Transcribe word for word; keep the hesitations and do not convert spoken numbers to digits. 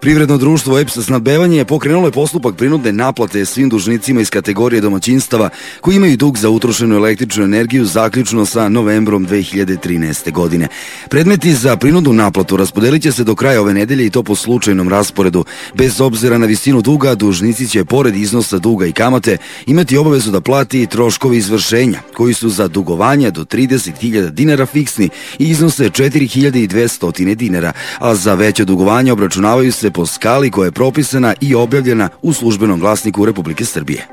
Privredno društvo E P S snabdevanje je pokrenulo je postupak prinudne naplate svim dužnicima iz kategorije domaćinstava koji imaju dug za utrošenu električnu energiju zaključno sa novembrom dve hiljade trinaeste. godine. Predmeti za prinudnu naplatu raspodelit će se do kraja ove nedelje i to po slučajnom rasporedu. Bez obzira na visinu duga, dužnici će pored iznosa duga i kamate imati obavezu da plati troškovi izvršenja koji su za dugovanja do trideset hiljada dinara fiksni i iznose četiri hiljade dvesta dinara, a za veće dugovanja obračunavaju se po skali koja je propisana i objavljena u Službenom glasniku Republike Srbije.